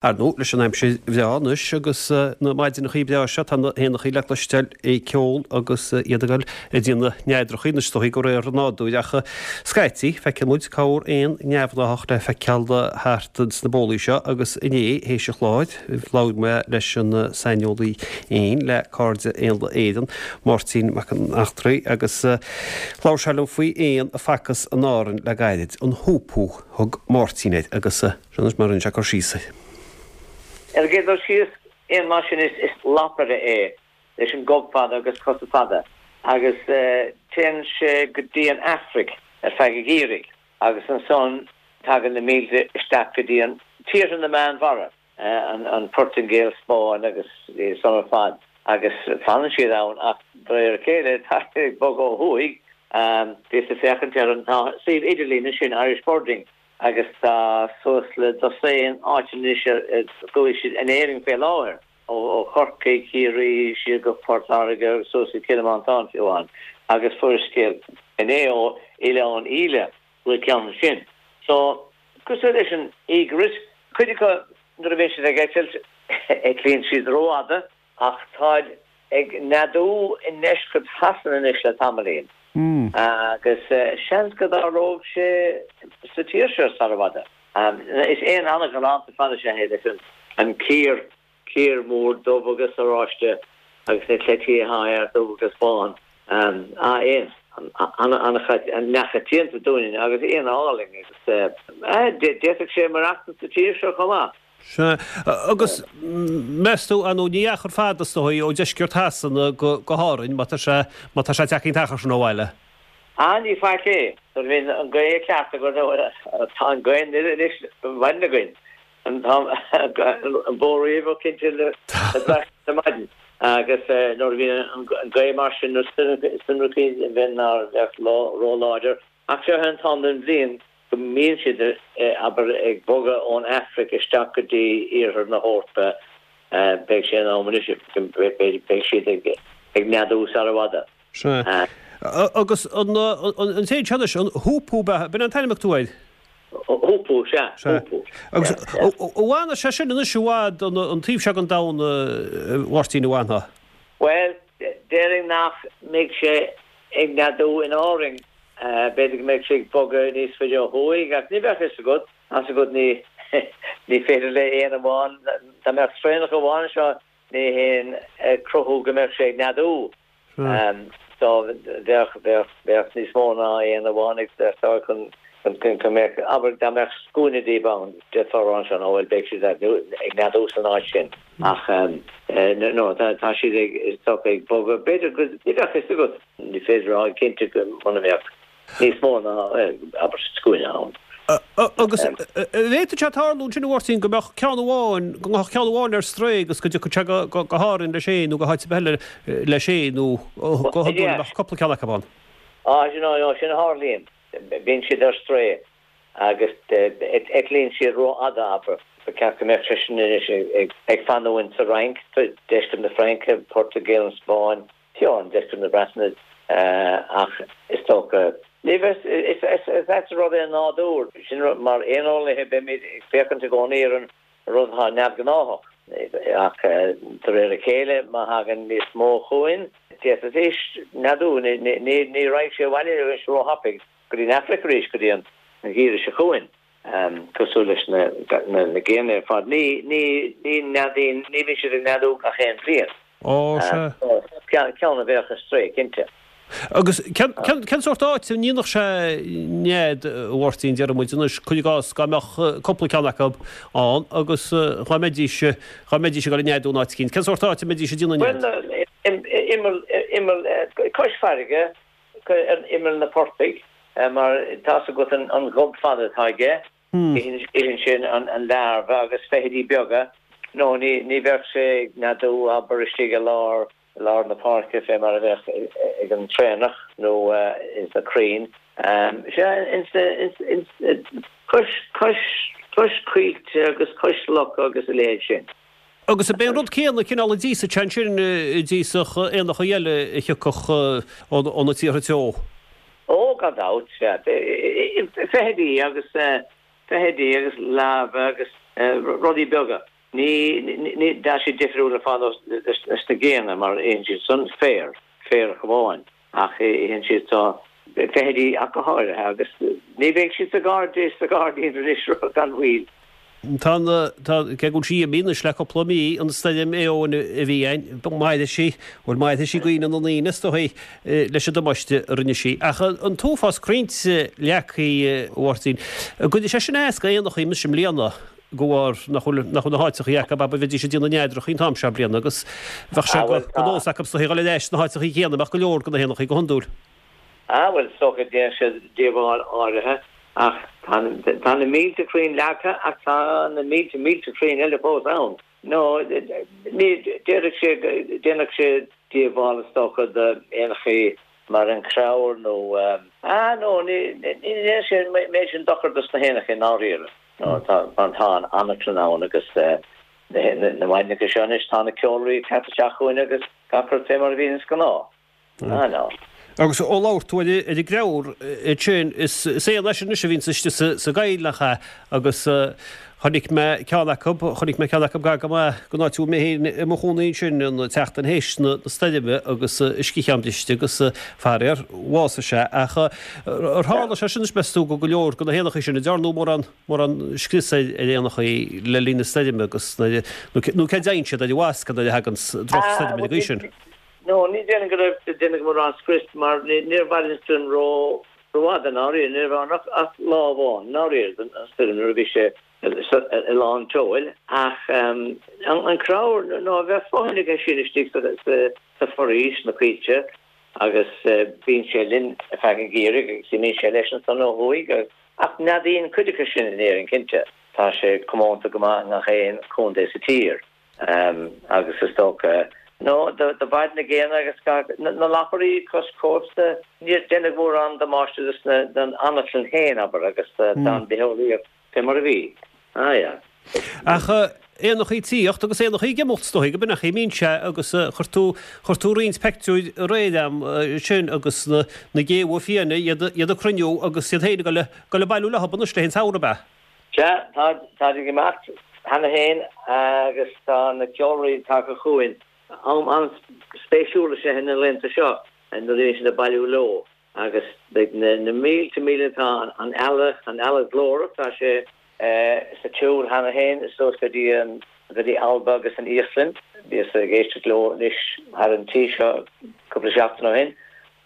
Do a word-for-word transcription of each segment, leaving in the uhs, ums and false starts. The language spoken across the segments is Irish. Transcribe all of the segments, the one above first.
Ar ndóigh, leis an aimsir bhreá anois agus na maidineachaí breá seo, tá na héanachaí le cloisteáil ag ceol agus iad ag dul ag déanamh neadrachaí anois, is dóigh, de réir an nádúir. Ach scaití, feiceann muid corr éan neamhghnáthach le feiceáil thart sna bólaí seo agus inné, théis an chláir, labhair mé leis an saineolaí éin le Cairde Éanlaith Éireann, Máirtín Mac an Eachtraí, agus labhair sé liom faoi éan a facthas in Árainn le gairid, an hoopoe thug Máirtín air agus seo anois mar a rinne sé cur síos air. Ar an gcéad dul síos, éan mar sin is lapaire é, leis an gob fada agus cosa fada, agus téann sé go dtí an Afraic ar feadh an gheimhridh, agus ansan tagann na mílte isteach go dtí an tíortha na Meánmhara, an Phortaingéil, Spáinn agus san ar fad, agus fanann siad ann, ach de réir a chéile tá siad ag bogadh ó thuaidh. Bhíos ag féachaint ar an suíomh idirlín ansin, Irish Birding, agus tá suas le dosaen áiteanna anois ar chuaigh siad in Éirinn fé láthair, ó Chorcaigh, Ciarraí, siar go Port Láirge agus suas go Cill Mhantáin fiú amháin, agus fuaireas scéal inné ó Oileán Íle go bhfuil ceann ansin. So, cosúil leis an egret, cuid acu nuair a bhíonn siad ag eitilt, eitlíonn siad rófhada ach táid ag neadú i ndeisceart Shasana anois le tamaillín agus seans go dtarlódh sé sa tír seo sara bhfada. Is éan an-ghalánta fada is ea é leis an cíor, cíor mór dubh agus oráiste agus na cleití atá air dubh agus bán. Éan an-neamhchoitianta dúinne agus éan álainn agus d'fhéadfadh sé maireachtaint sa tír seo chomh maith. Sea. Agus meas tú, ar ndóigh, ní achar fada is dóigh ó dheisceart Shasana go hÁrainn má tá sé, má tá sé ag teacht an t-achar sin ó bhaile? Ah, ní faic é. Nuair a bhíonn an ghaoth ceart againn, tá an ghaoth anois ar maidin againn, an bó riamh cinnte le brath ar maidin. Agus nuair a bhíonn an ghaoth mar sin, na stoirmeachaí a bhíonn ná bheadh ró-láidir. Ach seo é an t-am den bhliain go mbíonn siad, abair, ag bogadh ón Afraic isteach go dtí iarthar na hEorpa, beidh sé in am anois, beidh siad ag neadú sara bhfada. Sea. Agus an t-éan seo anois, an hoopoe, b'in an t-ainm a thug tú air? Hoopoe, sea, hoopoe. Agus an bhfanfaidh sé sin anois i bhfad an taobh seo den domhan, a Mháirtín, an bhfanfaidh? Bhuel, déarfainn nach mbeidh sé ag neadú in Árainn. B'fhéidir go mbeidh sé ag bogadh níos faide ó thuaidh, ach ní bheadh fhios agat, tá's agat, ní ní féidir le éan amháin, dá mbeadh traonach amháin anseo, ní haon cruthú go mbeadh sé ag neadú. So bheadh, bheadh, bheadh níos mó ná éan amháin ag teastáil chun, chun go mbeadh, abair, dá mbeadh scuaine díobh ann, d'fhéadfá a rá ansin, ó bhuel, beidh siad ag neadú san áit sin. Ach no, tá siad ag, is dócha, ag bogadh, b'fhéidir go, ní bheadh fhios agat. Ní féidir a rá cinnte go muna mbeadh níos mó ná, abair, scuaine ann. Agus an bhféadfadh sé tarlú ansin, a Mháirtín, go mbeadh ceann amháin, go ngabhfadh ceann amháin ar strae agus go dtiocfadh sé go hÁrainn leis féin nó go háit ar bith eile leis féin nó go hiondúil go mbeadh cúpla ceann acu ann? Á, sin, sin a tharlaíonn. Bíonn siad ar strae agus eitlíonn siad rófhada, abair. Ba cheart go mbeadh seisean anois ag fanúint sa Fhrainc, deisceart na Fraince, Portaingéil, an Spáinn, fiú amháin deisceart na Breataine, ach is dócha, ní bheas, is ait an rud é an nádúr. Sin mar éaneolaithe beimid ag féachaint i gcónaí ar an rud atá neamhghnáthach, ach de réir a chéile má thagann níos mó chugainn, d'fhéadfaidís neadú, ní raghaidh sé abhaile arís róthapaidh go dtí an Afraic arís go dtí an gheimhreadh seo chugainn, cosúil leis na géanna ar fad. Ní neadaíonn, ní bhíonn siad ag neadú gach aon bhliain. Ó, sea. Ceann a bheadh ar strae, cinnte. Agus cén sórt áit a ndéanfadh sé nead, a Mháirtín, déarfaidh muid anois, cuir i gcás, dá mbeadh cúpla ceann acu ann agus dhá mbeidís, dhá mbeidís ag dul ag neadú in áit eicínt, cén sórt áit a mbeidís ag déanamh nead? Bhuel, imeall, imeall, cois farraige, ar imeall na portaigh, mar tá's agat an gob fada atá aige, itheann sé an larbha agus feithidí beaga, nó ní, ní bheadh sé ag neadú, abair, istigh i lár, lár na páirce fé mar a bheadh ag an traonach nó ins na crainn. Sea, ins na, ins, ins, cois, cois, cois coillte agus cois locha agus a leithéid sin. Agus ab é an rud céanna cineál a d'íosfadh sé ansin a d'íosfadh éanacha eile a thiocfadh ó na tíortha teo? Ó, gan dabht, sea. Feithidí agus, feithidí agus larbha agus rudaí beaga. Ní ní tá siad difriúil ar fad leis na géanna mar itheann siad san féar, féar amháin ach itheann siad tá feithidí ach go háirithe agus ní bheidh siad sa gairdín sa ghairdín anois gan mhoill. Tá an tá cé go bhfuil sí imithe anois le cúpla mí an stoirm Éowyn a bhí ann, mairfidh sí, bhuel mairfidh sí i gcuimhne na ndaoine is dóigh leis an damáiste a rinne sí. Ach an t-uafás crainnte leagtha a Mháirtín, an gcuirfidh sé sin as d'éanachaí anois i mbliana de bharr nach bhfuil nach bhfuil na háiteachaí acu a bheidís ag déanamh a neadrachaí an t-am seo bliana agus bheadh sé go nós acu is dóigh dhul ar ais sna háiteachaí céanna, bheadh go leor de na héanachaí go hiondúil. Ah bhuel, is dócha déanfaidh sé díobháil áirithe ach tá na mílte crainn leagtha ach tá na mílte mílte crainn eile fós ann. No, ní, déarfadh sé, déanfadh sé díobháil is dócha d'éanachaí mar an creabhar nó, ah no, ní, ní dhéanfaidh sé an méid sin dochar dos na héanachaí i ndáiríre. No, tá, tá an anaclann ann agus na maidneacha seo anois tá na ceolairí ag teacht isteach chugainn agus gach rud fé mar a bhíonn is gnáth. Ah no. Agus ó labhair tú ar an gcreabhar ansin, is éan é sin anois a bhíonns istigh sa gcoill, nach ea? Agus chonaic mé ceann acu, chonaic mé ceann acu gar go maith don áit a bhfuil mé féin i mo chónaí ansin an tseachtain théis na stoirme agus a sciathán briste agus faraor, bhásaigh sé. Ach ar tharla sé sin anois, meas tú, go go leor de na héanachaí sin, an ndearnadh mórán, mórán scrios ar éanachaí le linn na stoirme agus nó céard a dhéanann siad ar an bhfascadh nuair a thagann drochstoirm ar an gcaoi sin? No, ní déarfainn go raibh déanadh mórán scrios mar níor mhair an stoirm ró rófhada i ndáiríre, ní raibh ann ach lá amháin i ndáiríre den stoirm nuair a bhí sé i lán tseoil ach an creabhar no bheadh fothain aige sin istigh sa foraois, sna coillte agus bíonn sé linn ar feadh an gheimhridh agus imíonn sé leis ansan ó thuaidh ach neadaíonn cuid acu sin in Éirinn cinnte. Tá sé comónta go maith i ngach aon chontae sa tír. Agus is dócha, nó do mhair na géanna agus na lapairí cois cósta, níor deineadh mórán damáiste dos na, don anaclann féin, abair, agus don bitheolaíocht fé mar a bhí. Ah, yeah. Ach éanachaí ag tíocht agus éanachaí ag imeacht, is dóigh, go b'in a imíonn sé agus chuir tú, chuir tú roinnt peictiúir aréir a'm ansin agus na, na géabha fiáine, iad, iad ag cruinniú agus iad féin ag dul, dul ag bailiú leo anois le haghaidh an tsamhraidh, ab ea? Sea, tá, táid ag imeacht cheana féin agus tá na ceolairí tagtha chugainn. Am an-spéisiúil is ea na laethanta seo nuair a bhíonn siad ag bailiú leo agus beidh na mílte míle, tá an eala, an eala ghlórach, tá sé sa tsiúl cheana féin suas go dtí an, go dtí Alba agus an Íoslainn. Bhíos ag éisteacht leo anois thar an tí seo cúpla seachtain ó shin.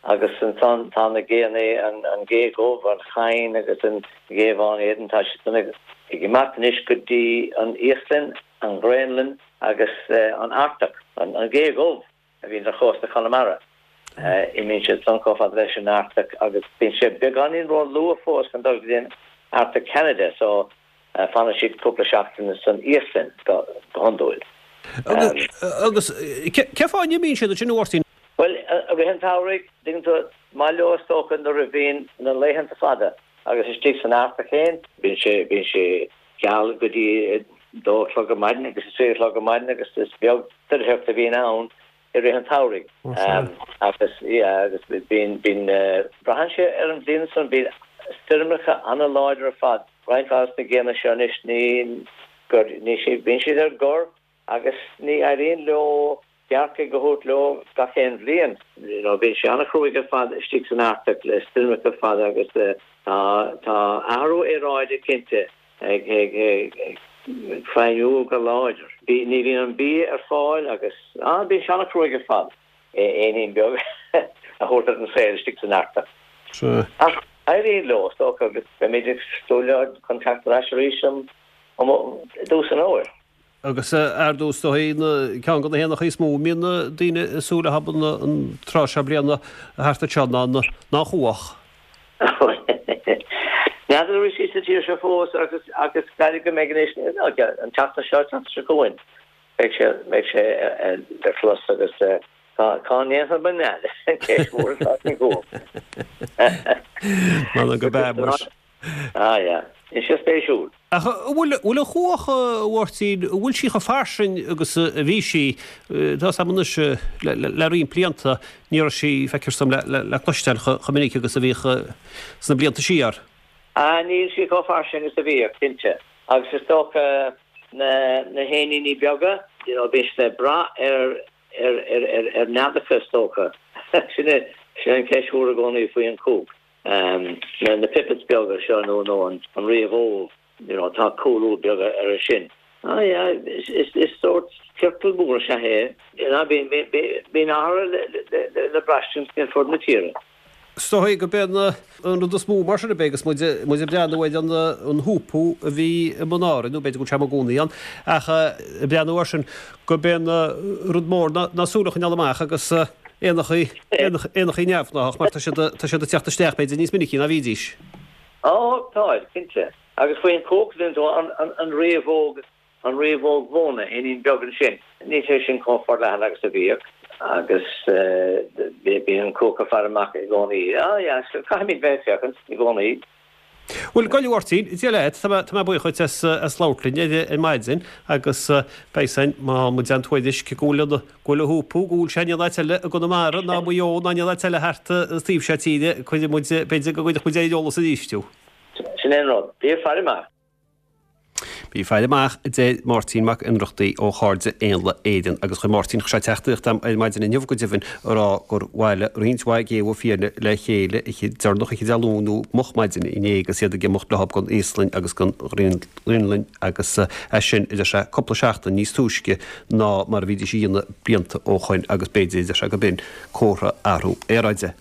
Agus ansan tá na géanna, an gé dhubh, an chain agus an ghé bhán éadain, tá siad san ag imeacht anois go dtí an Íoslainn, an Ghraonlainn agus an Artach. An gé dhubh a bhíonn ar chósta Chonamara, imíonn siad san chomh fada leis an Artach agus bíonn sé beagáinín ró-luath fós chun dul go dtí an Artach Ceanada so fanann siad cúpla seachtain san Íoslainn go hiondúil. Agus cén fáth a n-imíonn siad ansin, a Mháirtín? Bhuel, i rith an tsamhraidh, tuigeann tú, maith leo is dócha nuair a bhíonn na laethanta fada agus istigh san Artach féin, bíonn sé, bíonn sé geal go dtí a dó a chlog ar maidin agus a trí a chlog ar maidin agus is beag doircheacht a bhíonn ann i rith an tsamhraidh. Agus, yeah, agus bíonn, bíonn, braitheann sé ar an bhliain san, bíonn stoirmeacha an-láidir ar fad, roinnt mhaith de na géanna seo anois, ní, gur, ní, bíonn siad ar gor agus ní éiríonn leo gearrcaigh a thabhairt leo gach aon bhliain. You know, bíonn sé an-chruaidh ar fad istigh san Artach le stoirmeacha fada agus tá tá athrú aeráide cinnte ag ag ag feidhmiú go láidir. Bí ní bhíonn an bia ar fáil agus ah bíonn sé an-chruaidh ar fad éinín beag a thabhairt ar an saol istigh san Artach. Sea. Ach éiríonn leo, is dócha, agus beimid ag súil leo chun teacht ar ais arís um um i dtús an fhómhair. Agus ar ndóigh is dóigh ceann de na héanachaí is mó a mbíonn daoine ag súil leo an tráth seo bliana thart anseo ná an chuach. N'fheadar an bhfuil sí sa tír seo fós agus agus caithfidh go mbeidh anois an tseachtain seo, an tseachtain seo chugainn beidh sé beidh sé le clos agus cá cá ndéanfar mo nead an cheist mhór atá ag an gcuach. M'anam go b'ea muis. Ah yeah. Is sé spéisiúil. Ach an bhfuil an chuach, a Mháirtín, an bhfuil sí chomh fairsing agus a bhí sí, tá 's a'm anois, le roinnt blianta, ní raibh sí, feictear dom, le cloisteáil chomh minic agus a bhíodh sna blianta siar. Ah, níl sí chomh fairsing is a bhíodh, cinnte. Agus is dócha, Na na héiníní beaga, you know, bíonn siad ag brath ar ar ar ar ar neadacha is dócha. Sin é sin an ceist mhór i gcónaí faoi an cuach. Um, na na pipits beaga seo nó nó an an riabhóg, you know, tá cúlú beaga ar sin. Ah yeah, is is is sórt ciorcal mór is ea é. You know, bíonn bíonn athrú le le le braistint ar fud na tíre. Is dóigh gurb é an rud is mó mar sin a bheidh agus muid muid ag breathnú ar an an húpú a bhí i mbun Árainn, nó b'fhéidir go bhfuil sé i gcónaí ann, ach ag breathnú air sin gurb é an rud mór ná ná súil a choinneáil amach agus éanachaí éanachaí neamhghnách mar tá siad tá siad ag teacht isteach b'fhéidir níos minicí ná bhídís. Ó tá, cinnte. Agus faoin cuach an an an riabhóg an riabhóg mhóna éinín beag ansin. Níl sé sin chomh forleathan agus a bhíodh agus bíonn an cuach ag faire amach i gcónaí. Ah yeah, so caithfimid bheith féachaint i gcónaí. Bhuel, a Mháirtín, Dia leat, tá mé tá mé buíoch duit as as labhairt linn ar ar maidin agus beidh san má muid an tuairisc go bhfuil go bhfuil a húpú go bhfuil sé in aon áit eile i gConamara ná Maigh Eo ná in aon áit eile thart an taobh seo tíre, cuirfidh muid b'fhéidir go gcuirfidh muid ar eolas arís thú. Sin é an rud. Bí ag faire amach. Bí ag faire amach a deir Máirtín Mac Ionnrachtaigh ó Chairde Éanlaith Éireann agus chuir Máirtín sé teachtaireacht agam ar maidin inniu go deimhin a rá gur bhailigh roinnt mhaith géabha fiáine le chéile oíche deireanach oíche Dé Luain nó moch maidin inné agus iad ag imeacht leo don Íoslainn agus don Ghraonlainn agus é sin a deir sé cúpla seachtain níos túisce ná mar a bhídís a dhéanamh blianta ó shoin agus b'fhéidir a deir sé go b'in comhartha athrú aeráide.